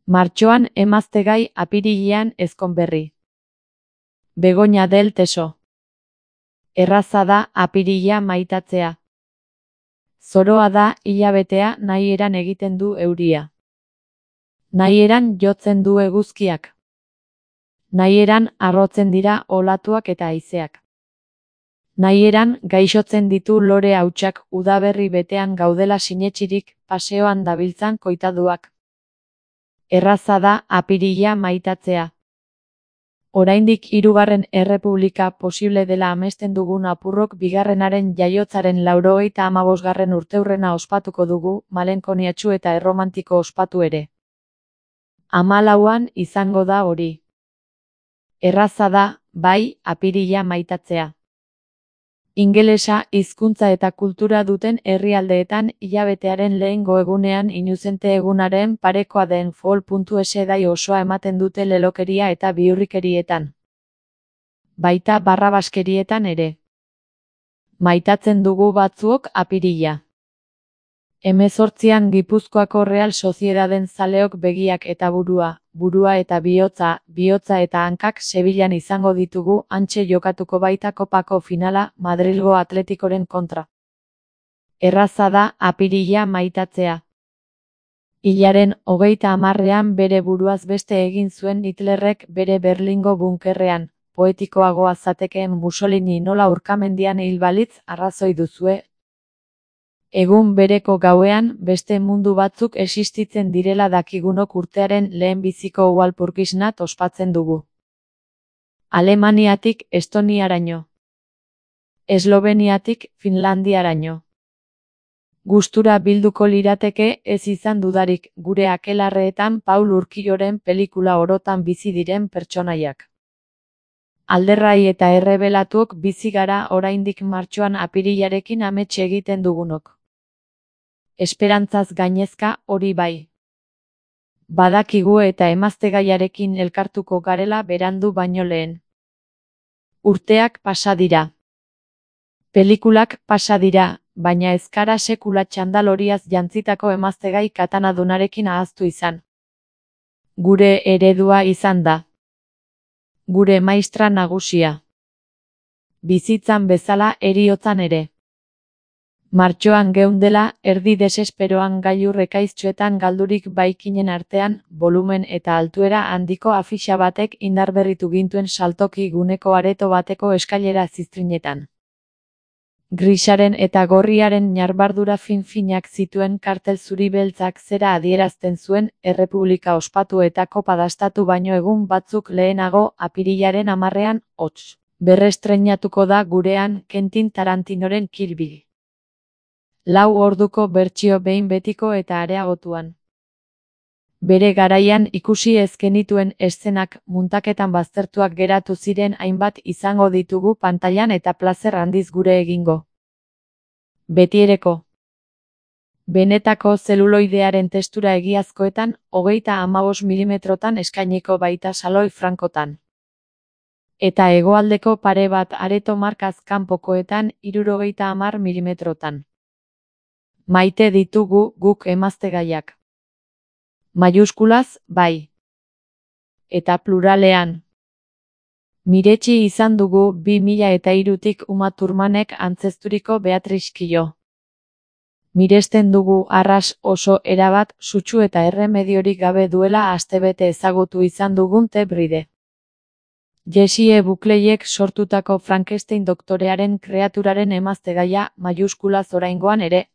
Martxoan emaztegai, apirilean ezkonberri. Begoña del Teso. Erraza da apirila maitatzea. Zoroa da hilabetea, nahieran egiten du euria. Nahieran jotzen du eguzkiak. Nahieran harrotzen dira olatuak eta haizeak. Nahieran gaixotzen ditu lore hautsak, udaberri betean gaudela sinetsirik, paseoan dabiltzan koitaduak. Erraza da apirila maitatzea. Oraindik hirugarren errepublika posible dela amesten dugun apurrok bigarrenaren jaiotzaren 95. urteurrena ospatuko dugu, malenkoniatsu eta erromantiko ospatu ere. 14an izango da hori. Erraza da, bai, apirila maitatzea. Ingelesa hizkuntza eta kultura duten herrialdeetan hilabetearen lehengo egunean inuzente egunaren parekoa den fall.es dai osoa ematen dute lelokeria eta bihurrikerietan. Baita barrabaskerietan ere. Maitatzen dugu batzuok apirila. 18an Gipuzkoako Real Sociedaden zaleok begiak eta burua eta bihotza, bihotza eta hankak Sevillan izango ditugu, hantxe jokatuko baita kopako finala, Madrilgo Atletikoren kontra. Erraza da apirila maitatzea. Hilaren 30ean bere buruaz beste egin zuen Hitlerrek bere Berlingo bunkerrean, poetikoagoa zatekeen Mussolini nola urkamendian hil balitz arrazoi duzue. Egun bereko gauean, beste mundu batzuk existitzen direla dakigunok urtearen lehenbiziko Walpurgisnacht ospatzen dugu. Alemaniatik Estoniaraino. Esloveniatik Finlandiaraino. Gustura bilduko lirateke, ez izan dudarik, gure akelarreetan Paul Urquijoren pelikula orotan bizi diren pertsonaiak. Alderrai eta errebelatuok bizi gara oraindik martxoan apirilarekin amets egiten dugunok. Esperantzaz gainezka, hori bai. Badakigu eta emaztegaiarekin elkartuko garela berandu baino lehen. Urteak pasa dira. Pelikulak pasa dira, baina ez gara sekula txandaloriaz jantzitako emaztegai katanadunarekin ahaztu izan. Gure eredua izan da. Gure maistra nagusia. Bizitzan bezala heriotzan ere. Martxoan geundela, erdi desesperoan gailur ekaiztsuetan galdurik baikinen artean, volumen eta altuera handiko afixa batek indarberritu gintuen saltoki guneko areto bateko eskailera ziztrinetan. Grisaren eta gorriaren ñarbardura fin-finak zituen kartel zuri beltzak zera adierazten zuen, errepublika ospatu eta kopa dastatu baino egun batzuk lehenago, apirilaren 10ean, hots. Berrestreinatuko da gurean Quentin Tarantinoren Kill Bill. 4 orduko bertsio behin betiko eta areagotuan. Bere garaian ikusi ez genituen eszenak muntaketan baztertuak geratu ziren hainbat izango ditugu pantailan eta plazer handiz gure egingo. Betiereko. Benetako zeluloidearen testura egiazkoetan, 35 milimetrotan eskainiko baita saloi frankotan. Eta hegoaldeko pare bat areto markaz kanpokoetan 70 milimetrotan. Maite ditugu guk emaztegaiak. Maiuskulaz, bai. Eta pluralean. Miretsi izan dugu 2003tik Uma Thurmanek antzezturiko Beatriz Killo. Miresten dugu arras oso erabat, sutsu eta erremediorik gabe duela astebete ezagutu izan dugun The Bride. Jessie Buckleyek sortutako Frankenstein doktorearen kreaturaren emaztegaia, maiuskulaz oraingoan ere.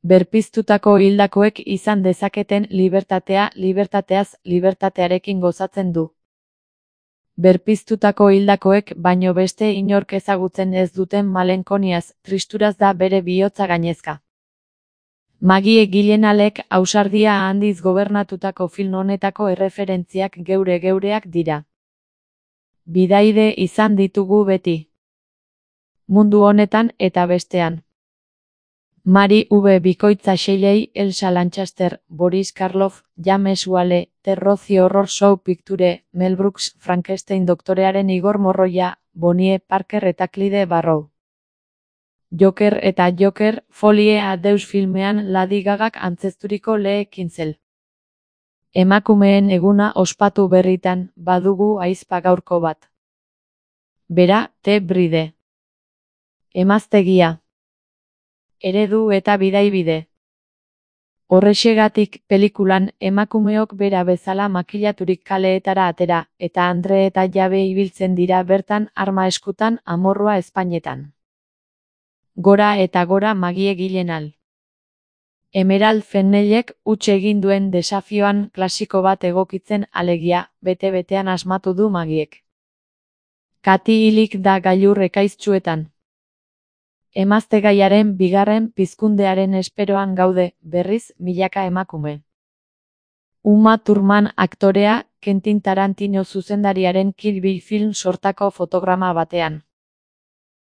Berpiztutako hildakoek izan dezaketen libertatea, libertateaz, libertatearekin gozatzen du. Berpiztutako hildakoek baino beste inork ezagutzen ez duten malenkoniaz, tristuraz da bere bihotza gainezka. Maggie Gyllenhaalek ausardia handiz gobernatutako film honetako erreferentziak geureak dira. Bidaide izan ditugu beti. Mundu honetan eta bestean. Mari V. Bikoitza Shelley, Elsa Lanchester, Boris Karloff, James Whale, The Rocky Horror Show Picture, Mel Brooks, Frankenstein doktorearen Igor Morroia, Bonnie Parker eta Clyde Barrow. Joker eta Joker, Folie à Deux filmean Lady Gagak antzezturiko Lee Kinsel. Emakumeen eguna ospatu berritan, badugu ahizpa gaurko bat. Bera, The Bride. Emaztegia. Eredu eta bidaibide. Horrexegatik, pelikulan, emakumeok bera bezala makillaturik kaleetara atera, eta andre eta jabe ibiltzen dira bertan arma eskutan amorrua ezpainetan. Gora eta gora Magie Gyllenhaal. Emerald Fennellek huts egin duen desafioan klasiko bat egokitzen alegia, bete-betean asmatu du Magiek. Kati hilik da gailur ekaiztsuetan. Emaztegaiaren bigarren pizkundearen esperoan gaude, berriz, milaka emakume. Uma Thurman aktorea, Quentin Tarantino zuzendariaren Kill Bill film sortako fotograma batean.